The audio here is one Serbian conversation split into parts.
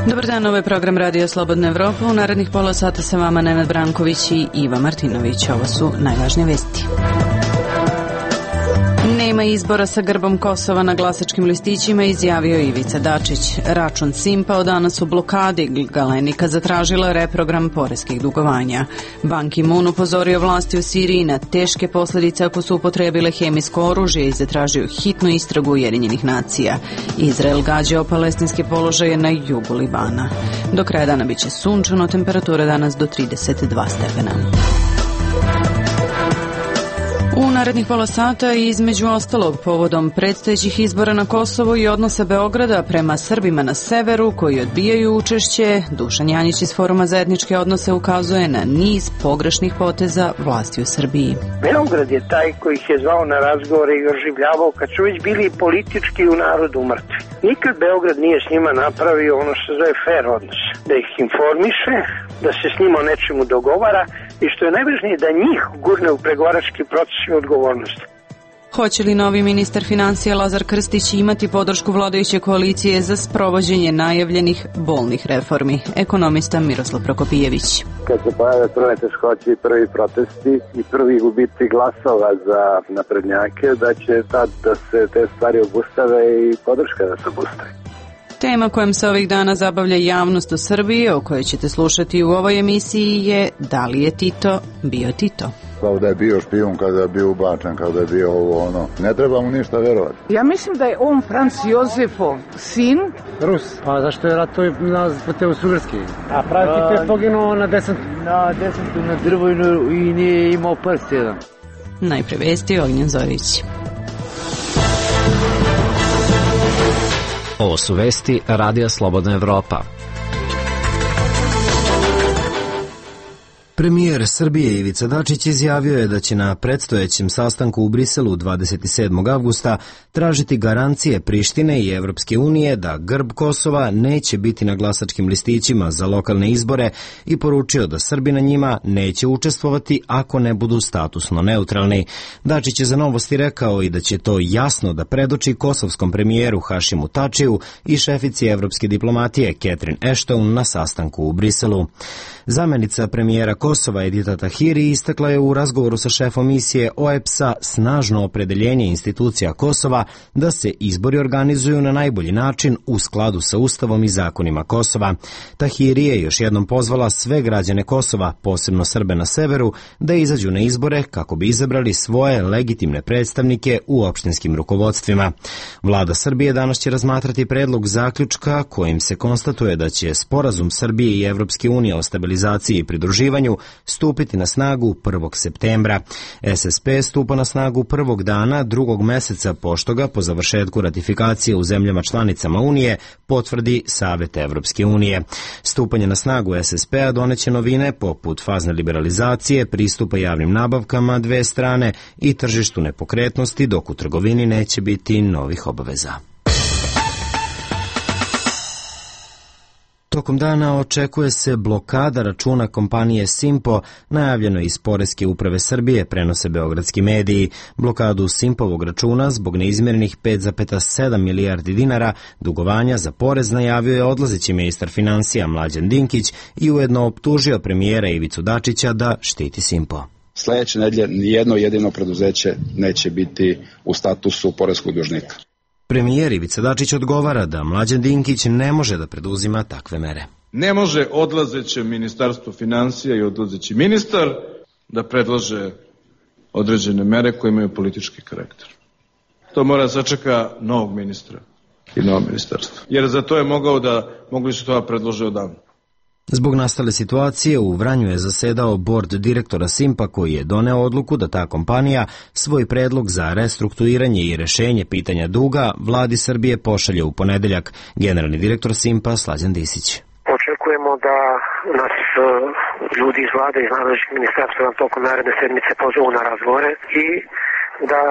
Dobar dan, ovo je program Radio Slobodna Evropa. U narednih pola sata sa vama Nenad Branković i Iva Martinović. Ovo su najvažnije vesti. Nema izbora sa grbom Kosova na glasačkim listićima, izjavio Ivica Dačić. Račun Simpa od danas u blokadi. Galenika zatražila reprogram poreskih dugovanja. Ban Ki-moon upozorio vlasti u Siriji na teške posljedice ako su upotrebile hemijsko oružje i zatražio hitnu istragu Ujedinjenih nacija. Izrael gađao palestinske položaje na jugu Libana. Do kraja dana biće sunčano, temperatura danas do 32 stepena. U narednih pola sata i između ostalog povodom predstojećih izbora na Kosovu i odnosa Beograda prema Srbima na severu koji odbijaju učešće, Dušan Janjić iz Foruma za etničke odnose ukazuje na niz pogrešnih poteza vlasti u Srbiji. Beograd je taj koji ih je zvao na razgovore i oživljavao kad su već bili politički u narodu mrtvi. Nikad Beograd nije s njima napravio ono što se zove fair odnos. Da ih informiše, da se s njima o nečemu dogovara i što je najvažnije da njih gurne u pregovarački proces i odgovornost. Hoće li novi ministar financija Lazar Krstić imati podršku vladajuće koalicije za sprovođenje najavljenih bolnih reformi? Ekonomista Miroslav Prokopijević. Kad se pojave prve teškoće i prvi protesti i prvi gubici glasova za naprednjake, da će tad da se te stvari obustave i podrška da se obustave. Tema kojom se ovih dana zabavlja javnost u Srbiji, o kojoj ćete slušati u ovoj emisiji, je da li je Tito bio Tito? Kao da je bio špijun, kada je bio ubačen, kada je bio ovo ono. Ne treba mu ništa verovati. Ja mislim da je on Franz Josefov sin. Rus. Pa zašto je ratovao na Teusugarski? A pravi Tito je poginuo na desantu. Na desantu na drvo i nije imao prst jedan. Najpre vesti, Ognjen Zorić. Ovo su vesti Radija Slobodna Evropa. Premijer Srbije Ivica Dačić izjavio je da će na predstojećem sastanku u Briselu 27. avgusta tražiti garancije Prištine i Evropske unije da grb Kosova neće biti na glasačkim listićima za lokalne izbore i poručio da Srbi na njima neće učestvovati ako ne budu statusno neutralni. Dačić je za Novosti rekao i da će to jasno da predoči kosovskom premijeru Hašimu Tačiju i šefici evropske diplomatije Catherine Ashton na sastanku u Briselu. Zamenica premijera Kosova Edita Tahiri istakla je u razgovoru sa šefom misije OEBS-a snažno opredeljenje institucija Kosova da se izbori organizuju na najbolji način u skladu sa Ustavom i zakonima Kosova. Tahiri je još jednom pozvala sve građane Kosova, posebno Srbe na severu, da izađu na izbore kako bi izabrali svoje legitimne predstavnike u opštinskim rukovodstvima. Vlada Srbije danas će razmatrati predlog zaključka kojim se konstatuje da će sporazum Srbije i Evropske unije o stabilizaciji i pridruživanju stupiti na snagu 1. septembra. SSP stupa na snagu prvog dana drugog meseca pošto ga po završetku ratifikacije u zemljama članicama Unije potvrdi Savet Evropske unije. Stupanje na snagu SSP-a doneće novine poput fazne liberalizacije, pristupa javnim nabavkama dve strane i tržištu nepokretnosti, dok u trgovini neće biti novih obaveza. Tokom dana očekuje se blokada računa kompanije Simpo, najavljeno iz Poreske uprave Srbije, prenose beogradski mediji. Blokadu Simpovog računa zbog neizmjerenih 5,7 milijardi dinara dugovanja za porez najavio je odlazeći ministar financija Mlađan Dinkić i ujedno optužio premijera Ivicu Dačića da štiti Simpo. Sljedeće nedelje nijedno jedino preduzeće neće biti u statusu poreskog dužnika. Premijer Ivica Dačić odgovara da Mlađan Dinkić ne može da preduzima takve mere. Ne može odlazeće ministarstvo financija i odlazeći ministar da predlaže određene mere koje imaju politički karakter. To mora da sačeka novog ministra i novo ministarstvo. Jer za to je mogli su to predlože odavno. Zbog nastale situacije u Vranju je zasedao bord direktora Simpa koji je doneo odluku da ta kompanija svoj predlog za restrukturiranje i rešenje pitanja duga vladi Srbije pošalje u ponedeljak. Generalni direktor Simpa Slađan Disić. Očekujemo da nas ljudi iz vlade iz nadležnih ministarstva tokom naredne sedmice pozovu na razgovore i da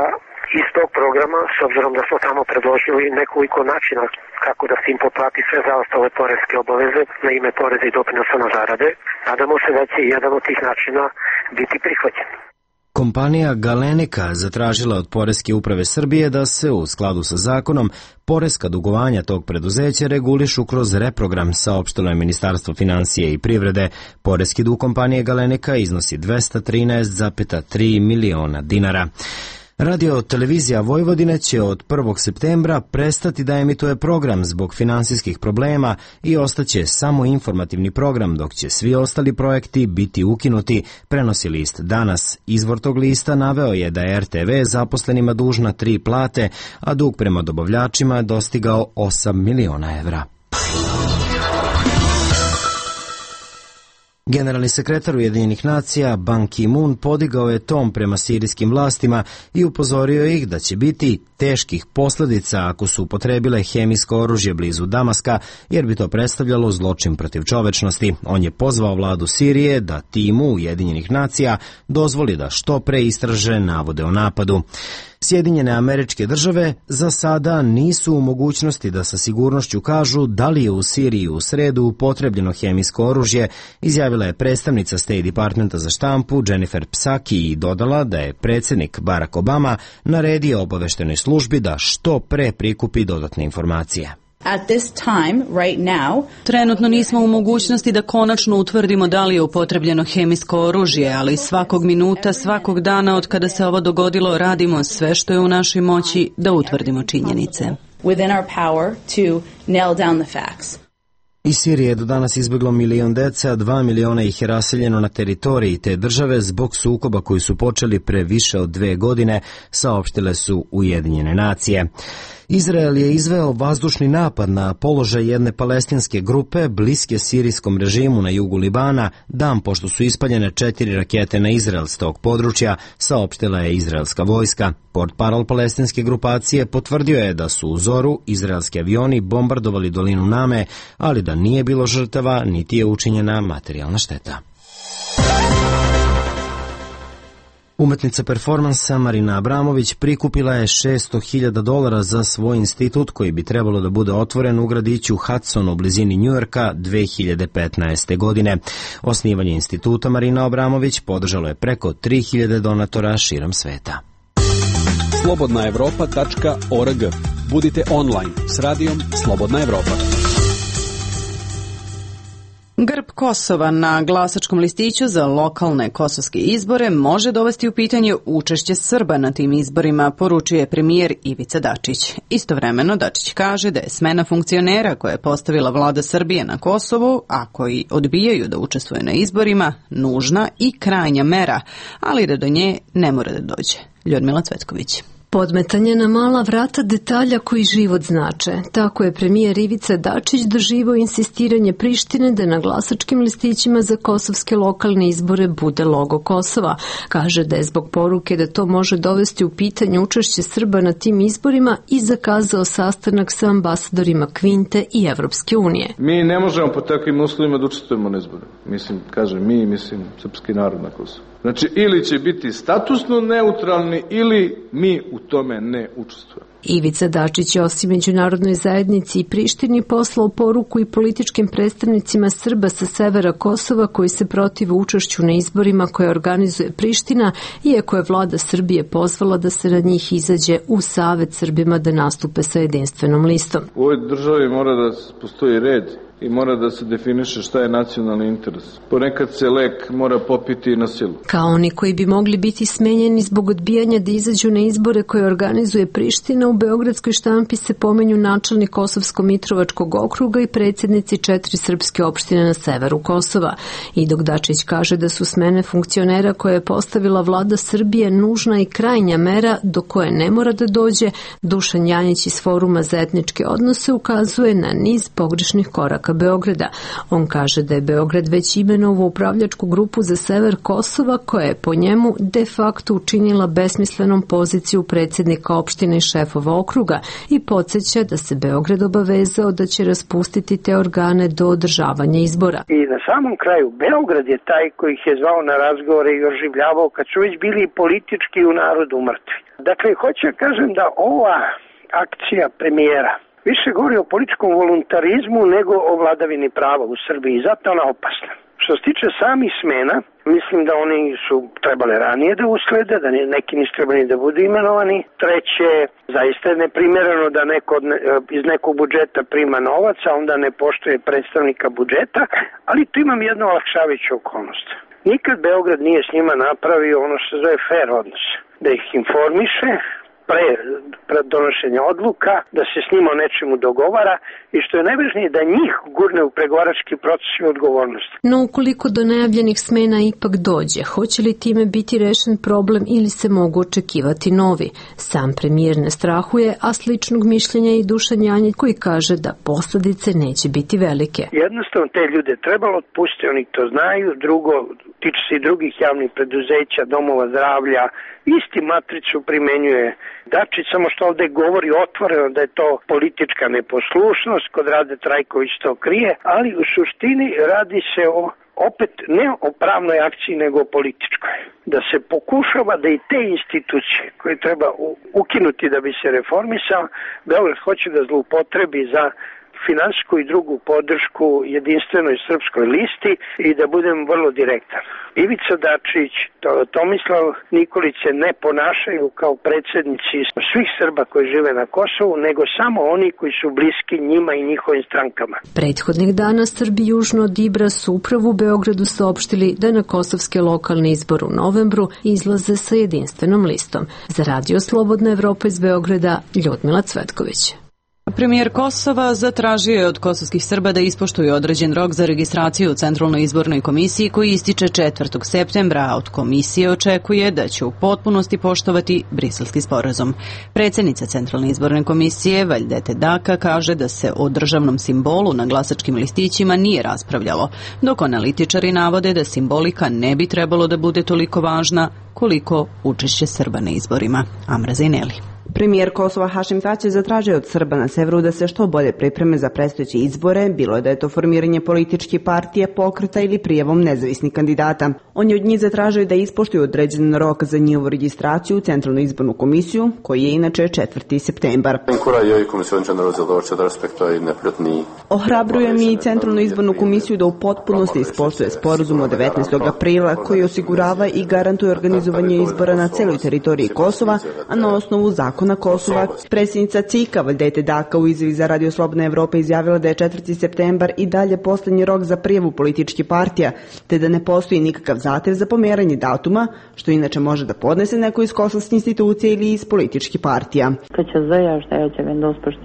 iz tog programa, s obzirom da smo tamo predložili nekoliko načina kako da Simpo plati sve zaostale poreske obaveze na ime poreza i doprinosa na zarade, nadamo se da će jedan od tih načina biti prihvaćen. Kompanija Galenika zatražila od Poreske uprave Srbije da se u skladu sa zakonom poreska dugovanja tog preduzeća regulišu kroz reprogram, saopštilo je Ministarstvo finansije i privrede. Poreski dug kompanije Galenika iznosi 213,3 miliona dinara. Radio televizija Vojvodine će od 1. septembra prestati da emituje program zbog finansijskih problema i ostaće samo informativni program, dok će svi ostali projekti biti ukinuti, prenosi list Danas. Izvor tog lista naveo je da je RTV zaposlenima dužna 3 plate, a dug prema dobavljačima je dostigao 8 miliona evra. Generalni sekretar Ujedinjenih nacija Ban Ki-moon podigao je ton prema sirijskim vlastima i upozorio ih da će biti teških posljedica ako su upotrebile hemijsko oružje blizu Damaska, jer bi to predstavljalo zločin protiv čovečnosti. On je pozvao vladu Sirije da timu Ujedinjenih nacija dozvoli da što pre istraže navode o napadu. Sjedinjene Američke Države za sada nisu u mogućnosti da sa sigurnošću kažu da li je u Siriji u sredu upotrebljeno hemijsko oružje, izjavila je predstavnica State Departmenta za štampu Jennifer Psaki i dodala da je predsjednik Barack Obama naredio obaveštenoj službi da što pre prikupi dodatne informacije. At this time, right now, trenutno nismo u mogućnosti da konačno utvrdimo da li je upotrebljeno hemijsko oružje, ali svakog minuta, svakog dana od kada se ovo dogodilo radimo sve što je u našoj moći da utvrdimo činjenice. Within our power to nail down the facts. Iz Sirije je do danas izbjeglo 1 milion dece, a 2 miliona ih je raseljeno na teritoriji te države zbog sukoba koji su počeli pre više od 2 godine, saopštile su Ujedinjene nacije. Izrael je izveo vazdušni napad na položaj jedne palestinske grupe bliske sirijskom režimu na jugu Libana, dan pošto su ispaljene 4 rakete na Izrael s tog područja, saopštila je izraelska vojska. Portparol palestinske grupacije potvrdio je da su u zoru izraelski avioni bombardovali dolinu Name, ali da nije bilo žrtava niti je učinjena materijalna šteta. Umetnica performansa Marina Abramović prikupila je $600.000 za svoj institut koji bi trebalo da bude otvoren u gradiću Hudson u blizini Njujorka 2015. godine. Osnivanje instituta Marina Abramović podržalo je preko 3.000 donatora širom sveta. slobodnaevropa.org. Budite online s radijom Slobodna Evropa. Grb Kosova na glasačkom listiću za lokalne kosovske izbore može dovesti u pitanje učešće Srba na tim izborima, poručuje premijer Ivica Dačić. Istovremeno Dačić kaže da je smena funkcionera koje je postavila vlada Srbije na Kosovu, a koji odbijaju da učestvuju na izborima, nužna i krajnja mera, ali da do nje ne mora da dođe. Ljudmila Cvetković. Podmetanje na mala vrata detalja koji život znače. Tako je premijer Ivica Dačić doživao insistiranje Prištine da na glasačkim listićima za kosovske lokalne izbore bude logo Kosova. Kaže da je zbog poruke da to može dovesti u pitanje učešće Srba na tim izborima i zakazao sastanak sa ambasadorima Kvinte i Evropske unije. Mi ne možemo po takvim uslovima da učestvujemo na izboru. Mislim srpski narod na Kosovu. Znači, ili će biti statusno neutralni, ili mi u tome ne učestvujemo. Ivica Dačić je osim međunarodnoj zajednici i Prištini poslao poruku i političkim predstavnicima Srba sa severa Kosova koji se protive učešću na izborima koje organizuje Priština, iako je vlada Srbije pozvala da se na njih izađe u savet Srbima da nastupe sa jedinstvenom listom. U ovoj državi mora da postoji red i mora da se definiše šta je nacionalni interes. Ponekad se lek mora popiti na silu. Kao oni koji bi mogli biti smenjeni zbog odbijanja da izađu na izbore koje organizuje Priština, u beogradskoj štampi se pomenju načelnik Kosovsko-Mitrovačkog okruga i predsjednici 4 srpske opštine na severu Kosova. I dok Dačić kaže da su smene funkcionera koje je postavila vlada Srbije nužna i krajnja mera do koje ne mora da dođe, Dušan Janjić iz Foruma za etničke odnose ukazuje na niz pogrešnih koraka Beograda. On kaže da je Beograd već imenovao upravljačku grupu za sever Kosova koja je po njemu de facto učinila besmislenom poziciju predsjednika opštine i šefova okruga i podsjeća da se Beograd obavezao da će raspustiti te organe do održavanja izbora. I na samom kraju Beograd je taj koji ih je zvao na razgovore i oživljavao kad su već bili politički u narodu mrtvi. Dakle, hoću da kažem da ova akcija premijera više govori o političkom voluntarizmu nego o vladavini prava u Srbiji. Zato ona opasna. Što se tiče samih smena, mislim da oni su trebali ranije da uslede, da neki nisu trebali da budu imenovani. Treće, zaista je neprimereno da neko iz nekog budžeta prima novac, a onda ne poštuje predstavnika budžeta, ali tu imam jednu olakšavajuću okolnost. Nikad Beograd nije s njima napravio ono što se zove fair odnos, da ih informiše pre donošenja odluka, da se s njima o nečemu dogovara i što je najvažnije da njih gurne u pregovarački proces i odgovornost. No ukoliko do najavljenih smena ipak dođe, hoće li time biti rešen problem ili se mogu očekivati novi? Sam premijer ne strahuje, a sličnog mišljenja i Dušan Janjić koji kaže da posledice neće biti velike. Jednostavno te ljude trebalo otpustiti, oni to znaju. Drugo, tiče se i drugih javnih preduzeća, domova zdravlja, isti matricu primenjuje Dačić, samo što ovde govori otvoreno da je to politička neposlušnost, kod Rade Trajković to krije, ali u suštini radi se opet ne o pravnoj akciji nego o političkoj. Da se pokušava da i te institucije koje treba ukinuti da bi se reformisao, Beograd hoće da zloupotrebi za finansijsku i drugu podršku jedinstvenoj srpskoj listi i da budem vrlo direktan. Ivica Dačić, Tomislav Nikolić se ne ponašaju kao predsjednici svih Srba koji žive na Kosovu, nego samo oni koji su bliski njima i njihovim strankama. Prethodnih dana Srbi južno od Ibra su upravo u Beogradu saopštili da na kosovske lokalne izbore u novembru izlaze sa jedinstvenom listom. Za Radio Slobodna Evropa iz Beograda, Ljudmila Cvetković. Premijer Kosova zatražio je od kosovskih Srba da ispoštuju određen rok za registraciju u Centralnoj izbornoj komisiji koji ističe 4. septembra, a od komisije očekuje da će u potpunosti poštovati Briselski sporazum. Predsjednica Centralne izborne komisije Vajdete Daka kaže da se o državnom simbolu na glasačkim listićima nije raspravljalo, dok analitičari navode da simbolika ne bi trebalo da bude toliko važna koliko učešće Srba na izborima. Amra Zaineli. Premijer Kosova Hašim Tači zatražio od Srba na severu da se što bolje pripreme za predstojeće izbore, bilo je da je to formiranje političke partije, pokreta ili prijavom nezavisnih kandidata. On je od njih zatražio da ispoštuju određen rok za njihovu registraciju u Centralnu izbornu komisiju, koji je inače 4. septembar. Ohrabrujem i Centralnu izbornu komisiju da u potpunosti ispoštuje sporazum od 19. aprila koji osigurava i garantuje organizovanje izbora na celoj teritoriji Kosova, a na osnovu zakona Kosova. Predsjednica CIK-a Vajdete Daka u izjavi za Radio Slobodna Evropa izjavila da je 4. septembar i dalje poslednji rok za prijavu političkih partija, te da ne postoji nikakav zahtev za pomeranje datuma, što inače može da podnese neko iz kosovske institucije ili iz političkih partija.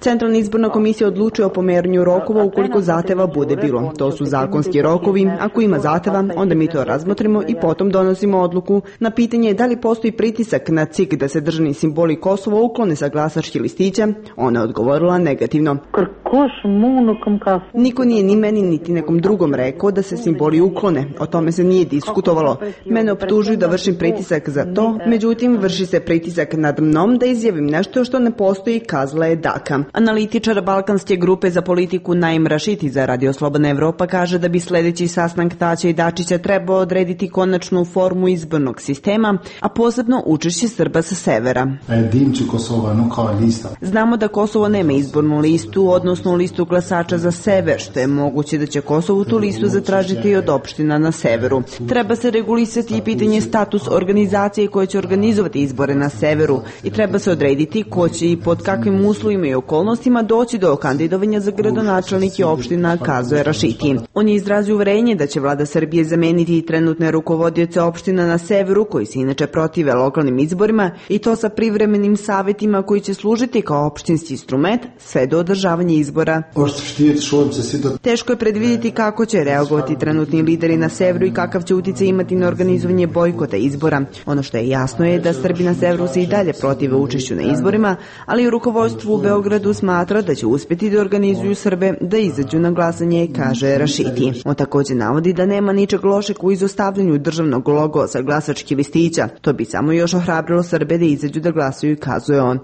Centralna izborna komisija odlučuje o pomeranju rokova ukoliko zahteva bude bilo. To su zakonski rokovi. Ako ima zahteva, onda mi to razmotrimo i potom donosimo odluku. Na pitanje da li postoji pritisak na CIK da se državni simboli Kosova uklone sa glasačkih listića, ona je odgovorila negativno. Niko nije ni meni niti nekom drugom rekao da se simboli uklone. O tome se nije diskutovalo. Mene optužuju da vršim pritisak za to, međutim vrši se pritisak nad mnom da izjavim nešto što ne postoji, kazala je Daka. Analitičar Balkanske grupe za politiku Naim Rašiti za Radio Slobodna Evropa kaže da bi sledeći sastanak Taća i Dačića trebao odrediti konačnu formu izbornog sistema, a posebno učešće Srba sa severa. Znamo da Kosovo nema izbornu listu, odnosno listu glasača za sever, što je moguće da će Kosovo tu listu zatražiti i od opština na severu. Treba se regulisati i pitanje status organizacije koje će organizovati izbore na severu i treba se odrediti ko će i pod kakvim uslovima i okolnostima doći do kandidovanja za gradonačelnike opština, kazuje Rašiti. On je izrazio uverenje da će vlada Srbije zameniti i trenutne rukovodioce opština na severu koji se inače protive lokalnim izborima i to sa privremenim savjetima koji će služiti kao opštinski instrument sve do održavanja izbora. Teško je predvidjeti kako će reagovati trenutni lideri na severu i kakav će uticaj imati na organizovanje bojkota izbora. Ono što je jasno je da Srbi na severu se i dalje protive učešću na izborima, ali u rukovodstvu u Beogradu smatra da će uspjeti da organizuju Srbe da izađu na glasanje, kaže Rašiti. On također navodi da nema ničeg lošeg u izostavljanju državnog logo sa glasačkih listića. To bi samo još ohrabrilo Srbe da izađu da glasuju, kazuje on.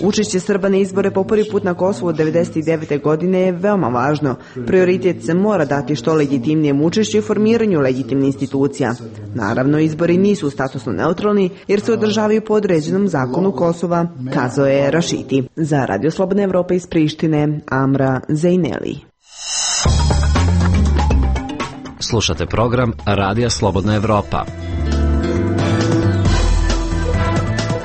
Učešće Srba na izbore po prvi put na Kosovu od 1999. godine je veoma važno. Prioritet se mora dati što legitimnijem učešću i formiranju legitimnih institucija. Naravno, izbori nisu statusno neutralni jer se održavaju po određenom zakonu Kosova, kazao je Rašiti. Za Radio Slobodna Evropa iz Prištine, Amra Zaineli. Slušate program Radija Slobodna Evropa.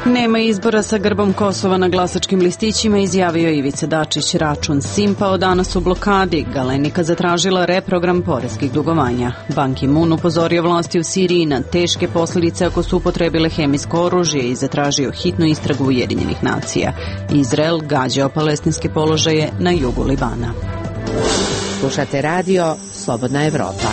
Nema izbora sa grbom Kosova na glasačkim listićima, izjavio Ivica Dačić. Račun Simpao danas u blokadi. Galenika zatražila reprogram poreskih dugovanja. Ban Ki-moon upozorio vlasti u Siriji na teške posljedice ako su upotrebile hemijsko oružje i zatražio hitnu istragu Ujedinjenih nacija. Izrael gađao palestinske položaje na jugu Libana. Slušate radio Slobodna Evropa.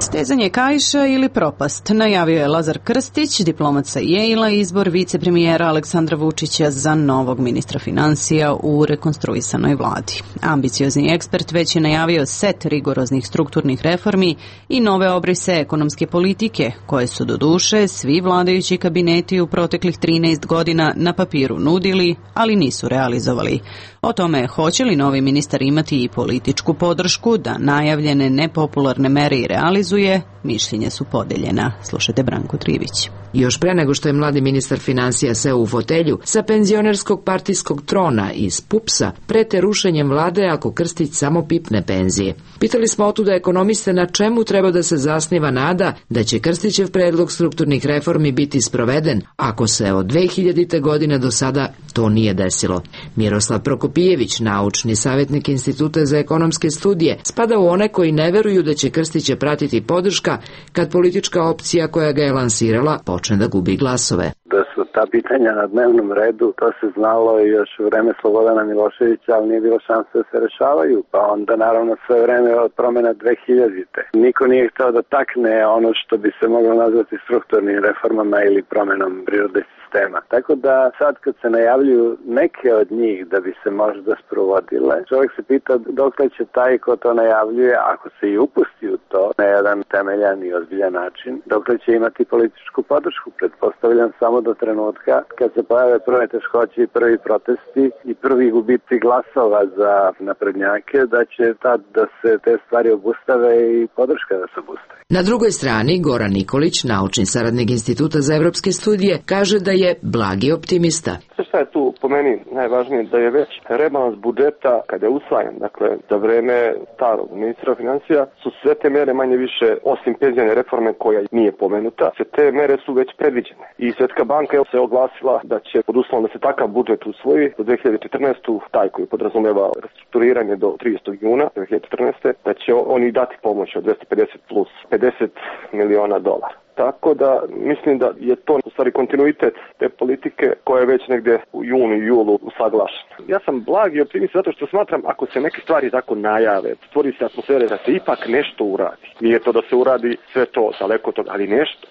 Stezanje kaiša ili propast, najavio je Lazar Krstić, diplomat sa Yale-a, izbor vicepremijera Aleksandra Vučića za novog ministra finansija u rekonstruisanoj vladi. Ambiciozni ekspert već je najavio set rigoroznih strukturnih reformi i nove obrise ekonomske politike, koje su doduše svi vladajući kabineti u proteklih 13 godina na papiru nudili, ali nisu realizovali. O tome hoće li novi ministar imati i političku podršku da najavljene nepopularne mere i realizuje, mišljenja su podeljena. Slušajte Branku Trivić. Još pre nego što je mladi ministar finansija seo u fotelju, sa penzionerskog partijskog trona iz PUPS-a prete rušenjem vlade ako Krstić samo pipne penzije. Pitali smo otuda ekonomiste na čemu treba da se zasniva nada da će Krstićev predlog strukturnih reformi biti sproveden ako se od 2000. godine do sada to nije desilo. Miroslav Prokopijević, naučni savjetnik Instituta za ekonomske studije, spada u one koji ne veruju da će Krstića pratiti podrška kad politička opcija koja ga je lansirala počne da gubi glasove. Da su ta pitanja na dnevnom redu, to se znalo još u vreme Slobodana Miloševića, ali nije bilo šanse da se rešavaju, pa onda naravno sve vreme od promena 2000-te. Niko nije hteo da takne ono što bi se moglo nazvati strukturnim reformama ili promenom prirode sistema. Tako da sad kad se najavljuju neke od njih da bi se možda sprovodile, čovjek se pita dokle će taj ko to najavljuje, ako se i upusti u to na jedan temeljan i ozbiljan način, dokle će imati političku podršku. Pretpostavljam samo do trenutka kad se pojave prve teškoće i prvi protesti i prvi gubici glasova za naprednjake, da će tad da se te stvari obustave i podrška da se obustave. Na drugoj strani, Goran Nikolić, naučni saradnik Instituta za evropske studije, kaže da je blagi optimista. Šta je tu po meni najvažnije? Da je već rebalans budžeta, kada je usvajan, dakle, za vreme starog ministra financija, su sve te mere manje više, osim penzijne reforme koja nije pomenuta, sve te mere su već predviđene. I Svjetska banka je se oglasila da će, pod uslovom da se takav budžet usvoji, do 2014. taj koji podrazumeva restrukturiranje do 30. juna 2014. da će oni dati pomoć od 250 plus 50 miliona dolara. Tako da mislim da je to u stvari kontinuitet te politike koja je već negde u junu i julu usaglašena. Ja sam blagi optimist zato što smatram ako se neke stvari tako najave, stvori se atmosfere da se ipak nešto uradi. Nije to da se uradi sve to daleko od toga, ali nešto.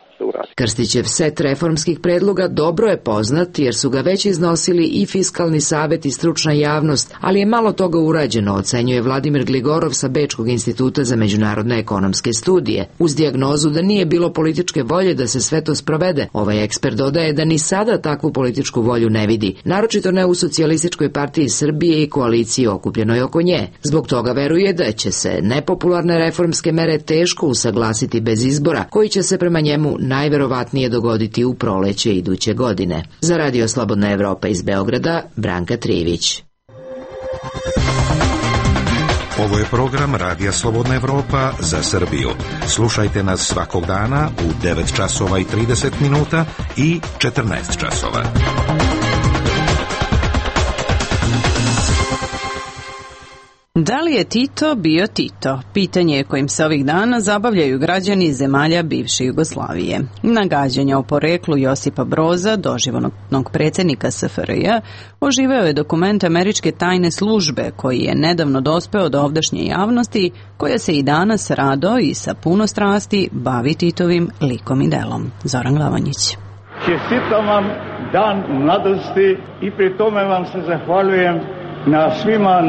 Krstićev set reformskih predloga dobro je poznat jer su ga već iznosili i Fiskalni savet i stručna javnost, ali je malo toga urađeno, ocenjuje Vladimir Gligorov sa Bečkog instituta za međunarodne ekonomske studije. Uz dijagnozu da nije bilo političke volje da se sve to sprovede, ovaj ekspert dodaje da ni sada takvu političku volju ne vidi, naročito ne u Socijalističkoj partiji Srbije i koaliciji okupljenoj oko nje. Zbog toga veruje da će se nepopularne reformske mere teško usaglasiti bez izbora, koji će se prema njemu najverovatnije dogoditi u proleće iduće godine. Za Radio Slobodna Evropa iz Beograda, Branka Trivić. Ovo je program Radija Slobodna Evropa za Srbiju. Slušajte nas svakog dana u 9 časova i 30 minuta i 14 časova. Da li je Tito bio Tito? Pitanje kojim se ovih dana zabavljaju građani zemalja bivše Jugoslavije. Nagađanja o poreklu Josipa Broza, doživotnog predsjednika SFRJ, oživeo je dokument američke tajne službe koji je nedavno dospeo do ovdašnje javnosti, koja se i danas rado i sa puno strasti bavi Titovim likom i delom. Zoran Glavanjić. Čestitam vam dan mladosti i pri tome vam se zahvaljujem na svima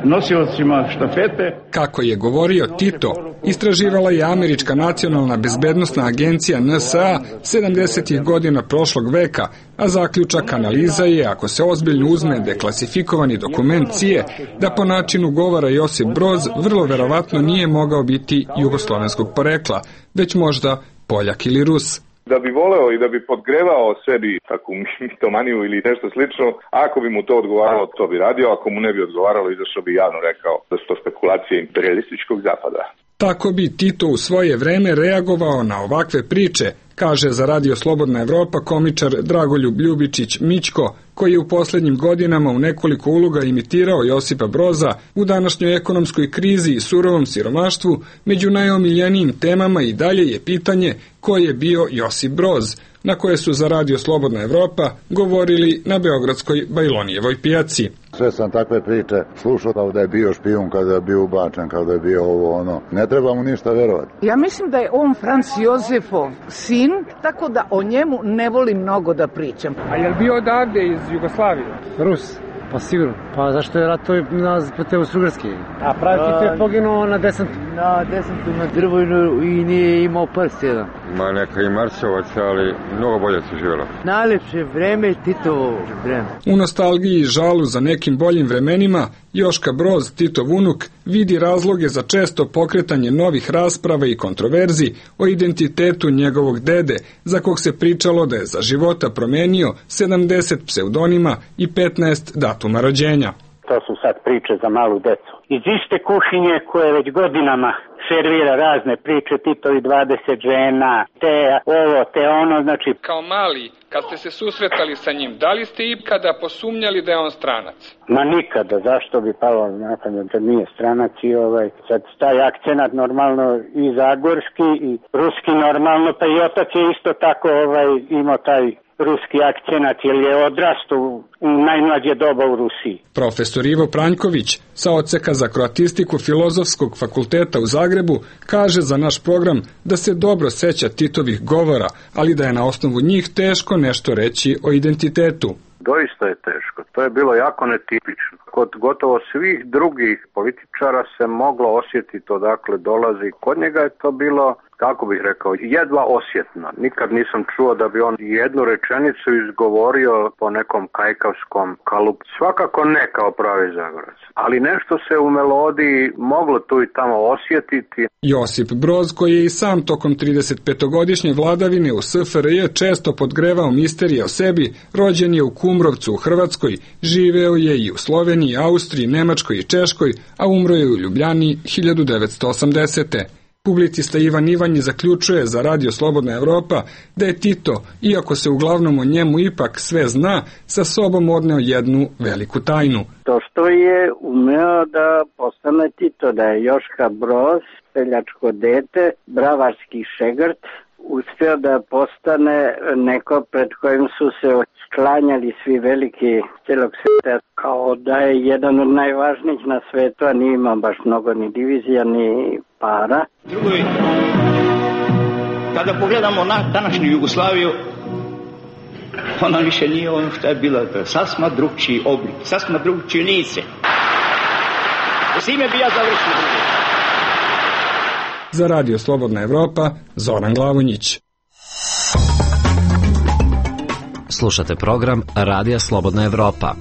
nosiocima štafete. Kako je govorio Tito, istraživala je Američka nacionalna bezbednosna agencija NSA 70. godina prošlog veka, a zaključak analiza je, ako se ozbiljno uzme deklasifikovani dokument CIA, da po načinu govora Josip Broz vrlo verovatno nije mogao biti jugoslovenskog porekla, već možda Poljak ili Rus. da bi voleo i da bi podgrevao sebi takvu mitomaniju ili nešto slično, ako bi mu to odgovaralo, to bi radio, ako mu ne bi odgovaralo, izašao bi javno rekao da su to spekulacije imperialističkog zapada. Tako bi Tito u svoje vreme reagovao na ovakve priče, kaže za Radio Slobodna Evropa komičar Dragoljub Ljubičić Mićko, koji je u poslednjim godinama u nekoliko uloga imitirao Josipa Broza. U današnjoj ekonomskoj krizi i surovom siromaštvu među najomiljenijim temama i dalje je pitanje ko je bio Josip Broz, na koje su za Radio Slobodna Evropa govorili na beogradskoj Bajlonijevoj pijaci. Sve sam takve priče slušao kao da je bio špijun, kada je bio ubačen, kao da je bio ovo ono. Ne treba mu ništa verovati. Ja mislim da je on Franc Jozefov sin, tako da o njemu ne volim mnogo da pričam. A je li bio odavde iz Jugoslavije? Rus. Pa sigurno. Pa zašto je ratovao na Austro-Ugarske? A pravi Tito je poginuo na desantu. Na desantu na Drvojnu i nije imao prst jedan. Ma neka i Marsovac, ali mnogo bolje se živjelo. Najlepše vreme Titovo vreme. U nostalgiji i žalu za nekim boljim vremenima, Joška Broz, Titov unuk, vidi razloge za često pokretanje novih rasprava i kontroverzi o identitetu njegovog dede, za kog se pričalo da je za života promenio 70 pseudonima i 15 datuma rođenja. To su sad priče za malu decu. Iz iste kuhinje koje već godinama servira razne priče, Titovi 20 žena, te ovo, te ono, znači... Kao mali, kad ste se susretali sa njim, da li ste ikada posumnjali da je on stranac? Ma nikada, zašto bi palo na pamet da nije stranac i sad taj akcenat normalno i zagorski i ruski normalno, pa i otac je isto tako imao taj ruski akcenat, jer je odrastao u najmlađe doba u Rusiji. Profesor Ivo Pranjković sa odseka za kroatistiku Filozofskog fakulteta u Zagrebu kaže za naš program da se dobro seća Titovih govora, ali da je na osnovu njih teško nešto reći o identitetu. Doista je teško. To je bilo jako netipično. Kod gotovo svih drugih političara se moglo osjetiti odakle dolazi. Kod njega je to bilo, kako bih rekao, jedva osjetno. Nikad nisam čuo da bi on jednu rečenicu izgovorio po nekom kajkavskom kalupu. Svakako ne kao pravi Zagorac. Ali nešto se u melodiji moglo tu i tamo osjetiti. Josip Broz, koji je i sam tokom 35-godišnje vladavine u SFRJ često podgrevao misterije o sebi, rođen je u Kumrovcu u Hrvatskoj, živeo je i u Sloveniji, Austriji, Nemačkoj i Češkoj, a umro je u Ljubljani 1980. Publicista Ivan Ivanji zaključuje za Radio Slobodna Evropa da je Tito, iako se uglavnom o njemu ipak sve zna, sa sobom odneo jednu veliku tajnu. To što je umeo da postane Tito, da je Joška Broz, seljačko dete, bravarski šegrt, uspio da postane neko pred kojim su se sklanjali svi veliki celog sveta, kao da je jedan od najvažnijih na svetu, a nije imao baš mnogo ni divizija, ni para. Drugo, kada pogledamo na današnju Jugoslaviju, ona više nije ono što je bila, sasma drugčiji oblik, sasma drugčiji lice. S ime bi ja završio. Za Radio Slobodna Evropa, Zoran Glavonjić. Slušate program Radija Slobodna Evropa.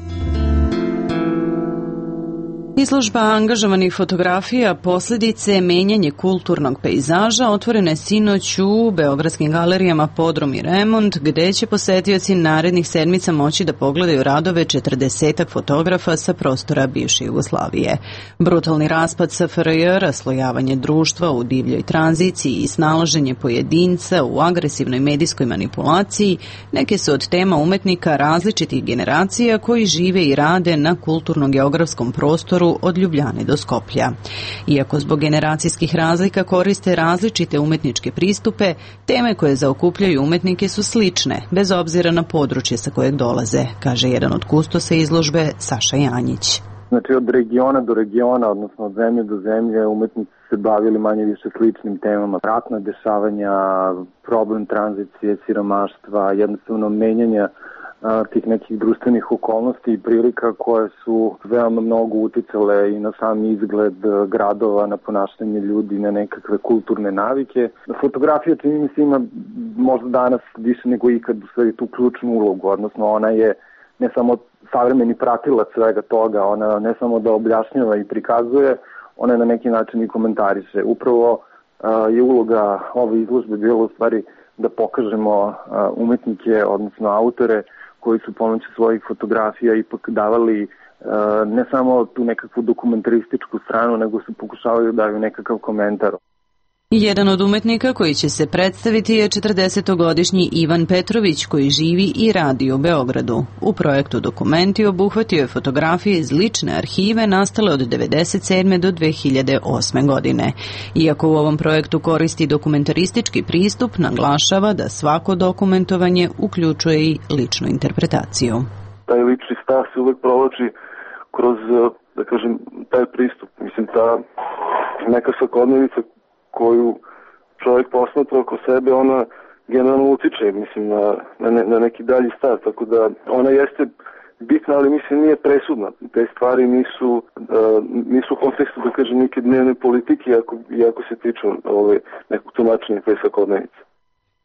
Izložba angažovanih fotografija posljedice menjanje kulturnog pejzaža otvorena je sinoć u beogradskim galerijama Podrum i Remont, gde će posetioci narednih sedmica moći da pogledaju radove 40 fotografa sa prostora bivše Jugoslavije. Brutalni raspad SFRJ, raslojavanje društva u divljoj tranziciji i snalaženje pojedinca u agresivnoj medijskoj manipulaciji neke su od tema umetnika različitih generacija koji žive i rade na kulturno-geografskom prostoru od Ljubljane do Skoplja. Iako zbog generacijskih razlika koriste različite umetničke pristupe, teme koje zaokupljaju umetnike su slične, bez obzira na područje sa kojeg dolaze, kaže jedan od kustosa izložbe, Saša Janjić. Znači od regiona do regiona, odnosno od zemlje do zemlje, umetnici se bavili manje više sličnim temama. Ratna dešavanja, problem tranzicije, siromaštva, jednostavno menjanja tih nekih društvenih okolnosti i prilika koje su veoma mnogo uticale i na sam izgled gradova, na ponašanje ljudi, na nekakve kulturne navike. Fotografija, čini mi se, ima možda danas više nego ikad u sve tu ključnu ulogu, odnosno ona je ne samo savremeni pratilac svega toga, ona ne samo da objašnjava i prikazuje, ona je na neki način i komentariše. Upravo je uloga ove izložbe bila u stvari da pokažemo umetnike, odnosno autore koji su pomoću svojih fotografija ipak davali ne samo tu nekakvu dokumentarističku stranu, nego su pokušavaju da daju nekakav komentar. Jedan od umetnika koji će se predstaviti je 40-godišnji Ivan Petrović, koji živi i radi u Beogradu. U projektu Dokumenti obuhvatio je fotografije iz lične arhive nastale od 1997. do 2008. godine. Iako u ovom projektu koristi dokumentaristički pristup, naglašava da svako dokumentovanje uključuje i ličnu interpretaciju. Taj lični stav se uvek provlači kroz, da kažem, taj pristup. Mislim, ta neka svakodnevica koju čovjek posmatra oko sebe, ona generalno utiče, mislim, na neki dalji stav, tako da ona jeste bitna, ali mislim nije presudna. Te stvari nisu u kontekstu, da kažem, neke dnevne politike, iako se tiču nekog tumačenja te svakodnevice.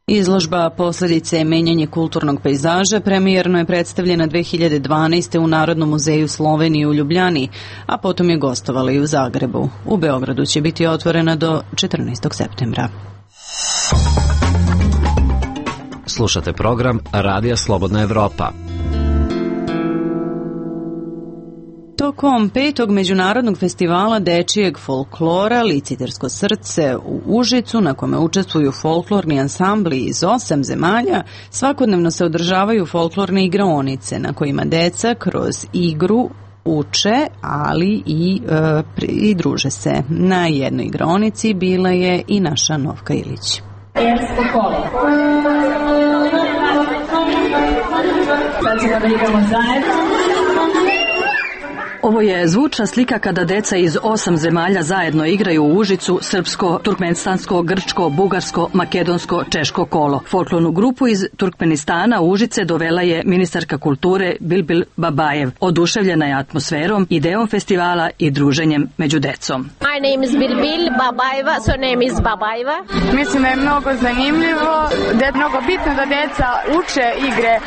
Izložba Posledice menjanje kulturnog pejzaža premijerno je predstavljena 2012. u Narodnom muzeju Slovenije u Ljubljani, a potom je gostovala i u Zagrebu. U Beogradu će biti otvorena do 14. septembra. Slušate program Radija Slobodna Evropa. Tokom 5. međunarodnog festivala dečijeg folklora Licitersko srce u Užicu, na kome učestvuju folklorni ansambli iz 8 zemalja, svakodnevno se održavaju folklorne igraonice na kojima deca kroz igru uče, ali i druže se. Na jednoj igraonici bila je i naša Novka Ilić. Ersko kolo. Sad ćemo da igramo zajedno. Ovo je zvučna slika kada deca iz 8 zemalja zajedno igraju u Užicu srpsko, turkmenistansko, grčko, bugarsko, makedonsko, češko kolo. Folklornu grupu iz Turkmenistana u Užice dovela je ministarka kulture Bilbil Babajev. Oduševljena je atmosferom, ideom festivala i druženjem među decom. My name is Bilbil Babajeva, so name is Babajeva. Mislim da je mnogo zanimljivo, da je mnogo bitno da deca uče igre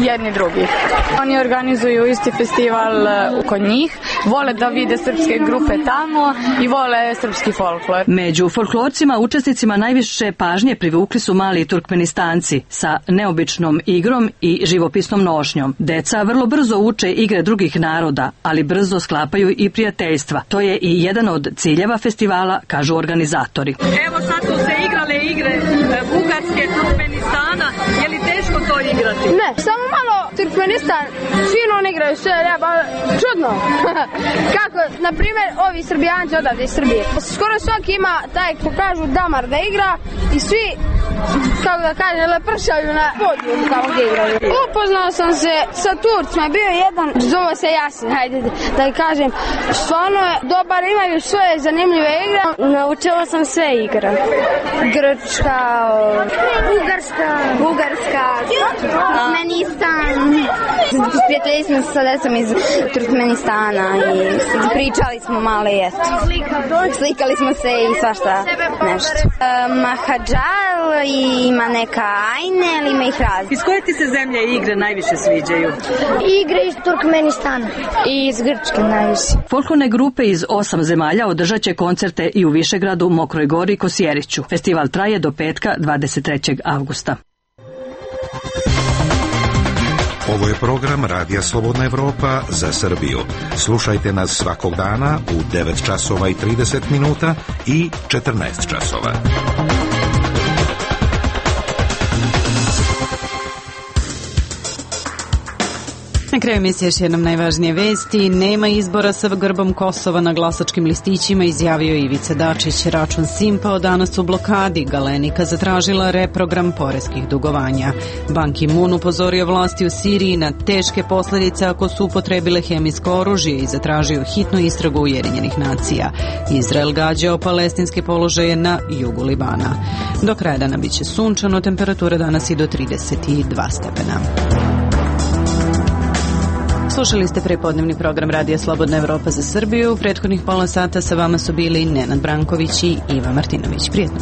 jedni drugih. Oni organizuju isti festival kod njih. Vole da vide srpske grupe tamo i vole srpski folklor. Među folklorcima učesnicima najviše pažnje privukli su mali Turkmenistanci sa neobičnom igrom i živopisnom nošnjom. Deca vrlo brzo uče igre drugih naroda, ali brzo sklapaju i prijateljstva. To je i jedan od ciljeva festivala, kažu organizatori. Evo sad su se igrale igre Bugarske, Turkmenistana. Je li teško to igrati? Ne, samo malo Turkmenistan, fino on igraju sve, čudno. Kako, na primjer, ovi Srbijanci odavde iz Srbije. Skoro svaki ima taj, ko kažu, damar da igra i svi, kako da kažem, lepršaju na podijum tamo gdje igraju. Upoznao sam se sa Turcima, bio je jedan, zove se Jasin, hajde da kažem, stvarno je dobar, imaju svoje zanimljive igre. Naučila sam sve igre. Grčka, Bugarska, Turkmenistan. Prijatelji smo sa decom iz Turkmenistana i pričali smo malo i eto. Slikali smo se i svašta nešto. Mahadžal i ima neka ajne, ali ima ih razli. Iz koje ti se zemlje igre najviše sviđaju? Igre iz Turkmenistana i iz Grčke najviše. Folklorne grupe iz 8 zemalja održat će koncerte i u Višegradu, Mokroj Gori i Kosjeriću. Festival traje do petka 23. avgusta. Ovo je program Radija Slobodna Evropa za Srbiju. Slušajte nas svakog dana u 9 časova i 30 minuta i 14 časova. Na kraju emisije još jednom najvažnije vesti. Nema izbora sa grbom Kosova na glasačkim listićima, izjavio Ivica Dačić. Račun Simpa danas u blokadi. Galenika zatražila reprogram poreskih dugovanja. Ban Ki-moon upozorio vlasti u Siriji na teške posljedice ako su upotrebile hemijsko oružje i zatražio hitnu istragu Ujedinjenih nacija. Izrael gađao palestinske položaje na jugu Libana. Do kraja dana biće sunčano, temperatura danas i do 32 stepena. Slušali ste prepodnevni program Radija Slobodna Evropa za Srbiju. U prethodnih pola sata sa vama su bili Nenad Branković i Iva Martinović. Prijetno.